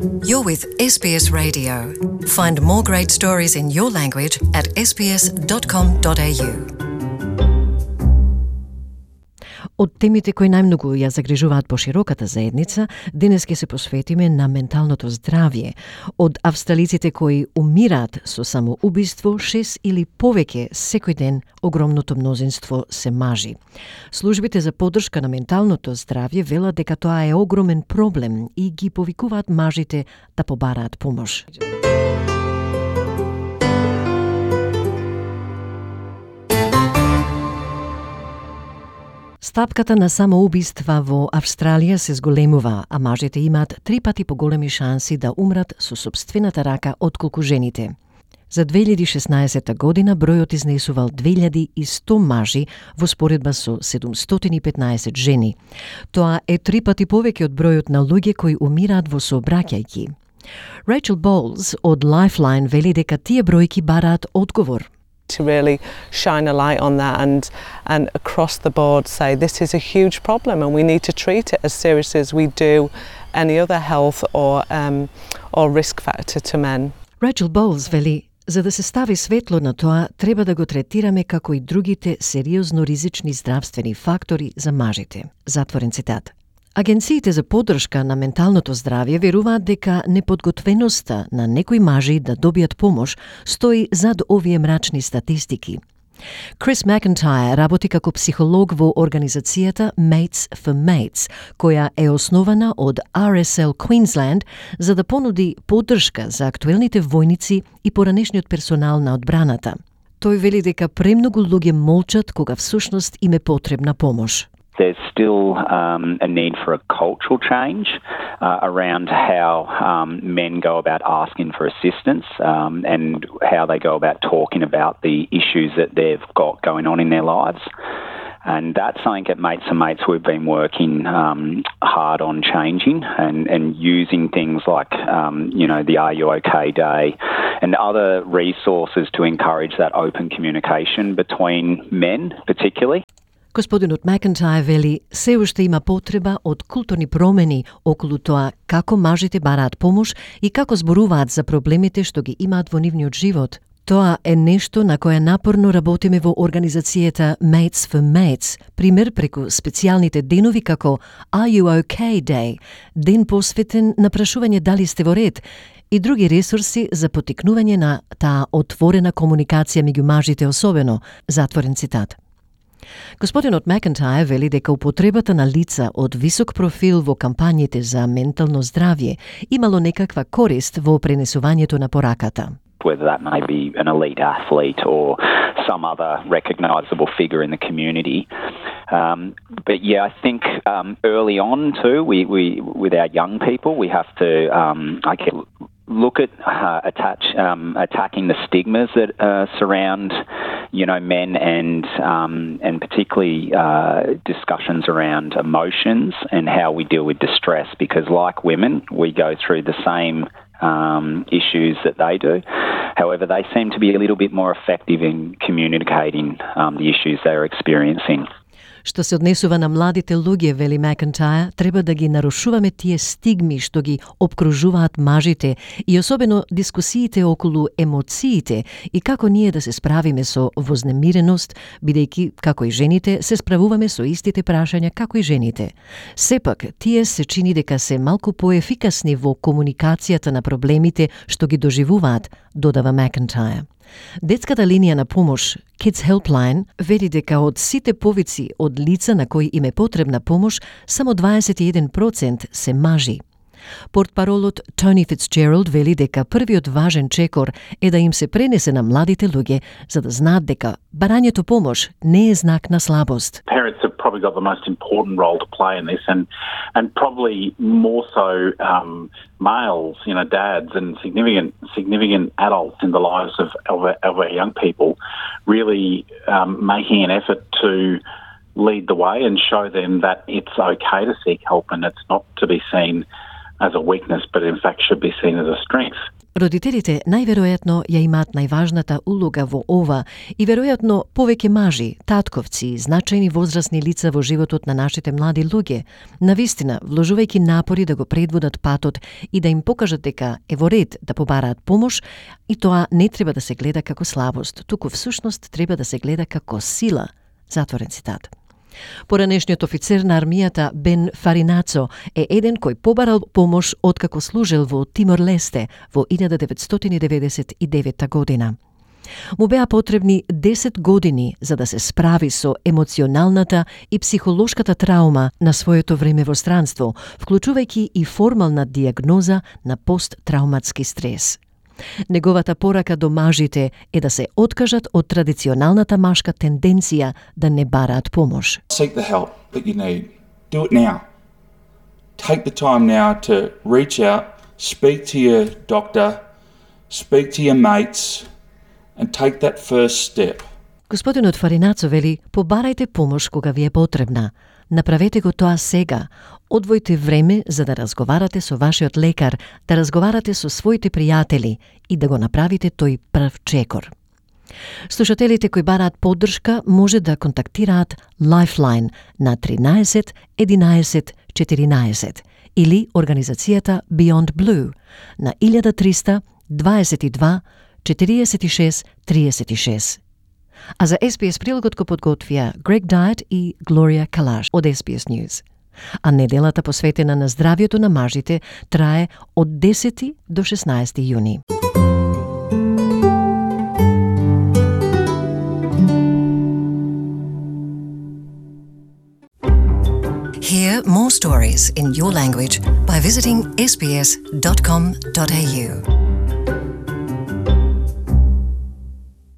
You're with SBS Radio. Find more great stories in your language at sbs.com.au. Од темите кои најмногу ја загрижуваат по широката заедница, денес ќе се посветиме на менталното здравје. Од австралиците кои умираат со самоубиство, 6 или повеќе секој ден, огромното мнозинство се мажи. Службите за поддршка на менталното здравје велат дека тоа е огромен проблем и ги повикуваат мажите да побараат помош. Стапката на самоубиства во Австралија се зголемува, а мажите имаат 3 пати поголеми шанси да умрат со сопствената рака отколку жените. За 2016 година бројот изнесувал 2100 мажи во споредба со 715 жени. Тоа е 3 пати повеќе од бројот на луѓе кои умираат во сообраќајки. Rachel Bowles од Lifeline вели дека тие бројки бараат одговор. To really shine a light on that and across the board say this is a huge problem and we need to treat it as seriously as we do any other health or risk factor to men. Rachel Bowles вели, за да се стави светло на тоа, треба да го третираме како и другите сериозно ризични здравствени фактори за мажите. Затворен цитат. Агенциите за поддршка на менталното здравје веруваат дека неподготвеноста на некои мажи да добијат помош стои зад овие мрачни статистики. Крис Макентајр работи како психолог во организацијата Mates for Mates, која е основана од RSL Queensland за да понуди поддршка за актуелните војници и поранешниот персонал на одбраната. Тој вели дека премногу луѓе молчат кога всушност им е потребна помош. There's still a need for a cultural change around how men go about asking for assistance and how they go about talking about the issues that they've got going on in their lives. And that's something at Mates and Mates we've been working hard on changing and using things like, the Are You OK Day and other resources to encourage that open communication between men particularly. Господинот Макентајр вели, се уште има потреба од културни промени околу тоа како мажите бараат помош и како зборуваат за проблемите што ги имаат во нивниот живот. Тоа е нешто на кое напорно работиме во организацијата Mates for Mates, пример преку специјалните денови како Are You OK Day, ден посветен на прашување дали сте во ред, и други ресурси за поттикнување на таа отворена комуникација меѓу мажите особено, затворен цитат. Господинот Макентајр вели дека употребата на лица од висок профил во кампањите за ментално здравје имало некаква корист во пренесувањето на пораката. Whether that may be an elite athlete or some other recognisable figure in the community. But yeah, I think early on too, we with our young people, we have to look at attacking the stigmas that surround, men and particularly discussions around emotions and how we deal with distress. Because like women, we go through the same issues that they do. However, they seem to be a little bit more effective in communicating the issues they're experiencing. Што се однесува на младите луѓе, вели Макентајр, треба да ги нарушуваме тие стигми што ги обкружуваат мажите и особено дискусиите околу емоциите и како ние да се справиме со вознемиреност, бидејќи, како и жените, се справуваме со истите прашања како и жените. Сепак, тие се чини дека се малку поефикасни во комуникацијата на проблемите што ги доживуваат, додава Макентајр. Детската линија на помош, Kids Helpline, вели дека од сите повици од лица на кои им е потребна помош, само 21% се мажи. Портпаролот Тони Фицджералд вели дека првиот важен чекор е да им се пренесе на младите луѓе за да знаат дека барањето помош не е знак на слабост. Parents have probably got the most important role to play in this and probably more so males, dads and significant adults in the lives of our young people really making an effort to lead the way and show them that it's okay to seek help and it's not to be seen as a weakness, but in fact should be seen as a strength. Родителите најверојатно ја имаат најважната улога во ова и веројатно повеќе мажи, татковци и значајни возрастни лица во животот на нашите млади луѓе, навистина вложувајќи напори да го предводат патот и да им покажат дека е во ред да побараат помош, и тоа не треба да се гледа како слабост, туку всушност треба да се гледа како сила. Затворен цитат. Поранешниот офицер на армијата Бен Фаринацо е еден кој побарал помош откако служел во Тимор-Лесте во 1999 година. Му беа потребни 10 години за да се справи со емоционалната и психолошката траума на своето време во странство, вклучувајќи и формална диагноза на посттрауматски стрес. Неговата порака до мажите е да се откажат од традиционалната машка тенденција да не бараат помош. Seek the help that you need. Do it now. Take the time now to reach out, speak to your doctor, speak to your mates and take that first step. Господинот Фаринацо вели: побарајте помош кога ви е потребна. Направете го тоа сега. Одвојте време за да разговарате со вашиот лекар, да разговарате со своите пријатели и да го направите тој прв чекор. Слушателите кои бараат поддршка може да контактираат Lifeline на 13 11 14 или организацијата Beyond Blue на 1300 22 46 36. А за SBS прилогот го подготвија Грег Дайет и Глорија Калаш од SBS News. А неделата посветена на здравјето на мажите трае од 10 до 16 јуни. Hear more stories in your language by visiting sbs.com.au.